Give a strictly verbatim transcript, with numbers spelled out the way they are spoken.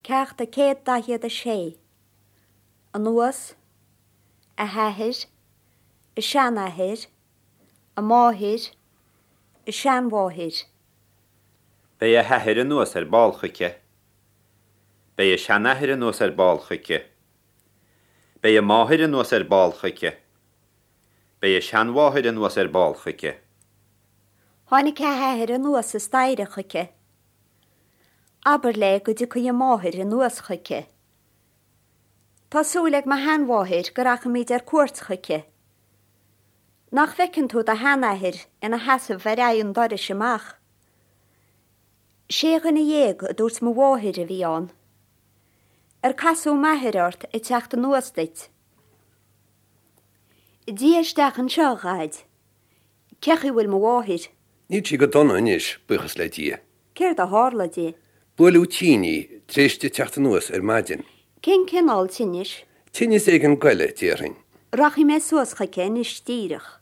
Ceacht a céad daichead a sé. Anuas, a hathair, a seanathair, a máthair, a seanmháthair. Beidh a hathair anuas ar ball chuici. Beidh a seanathair anuas ar ball chuici. Beidh a máthair anuas ar ball chuici. Beidh a seanmháthair anuas ar ball chuici. Tháinig a hathair anuas an staighre chuici. Abair léi go dtiocfaidh a máthair anuas chuici. Tá súil ag mo sheanmháthair go rachaimid ar cuairt chuici. Nach bhfeiceann tú do sheanathair ina sheasamh ar aghaidh an dorais amach. Sé dhuine dhéag a dúirt mo mháthair a bhí ann. Ar casadh m'athair ort ag teacht anuas duit. Dia isteach anseo, a Dhaid. Cén chaoi a bhfuil mo mháthair? Níl sí go dona anois, buíochas le Dia. Céard a tharla di? Buaileadh tinn í tar éis di teacht anuas ar maidin. Cén cineál tinnis? Tinneas éigin goile, déarfainn. Rachaidh mé suas chuici anois díreach.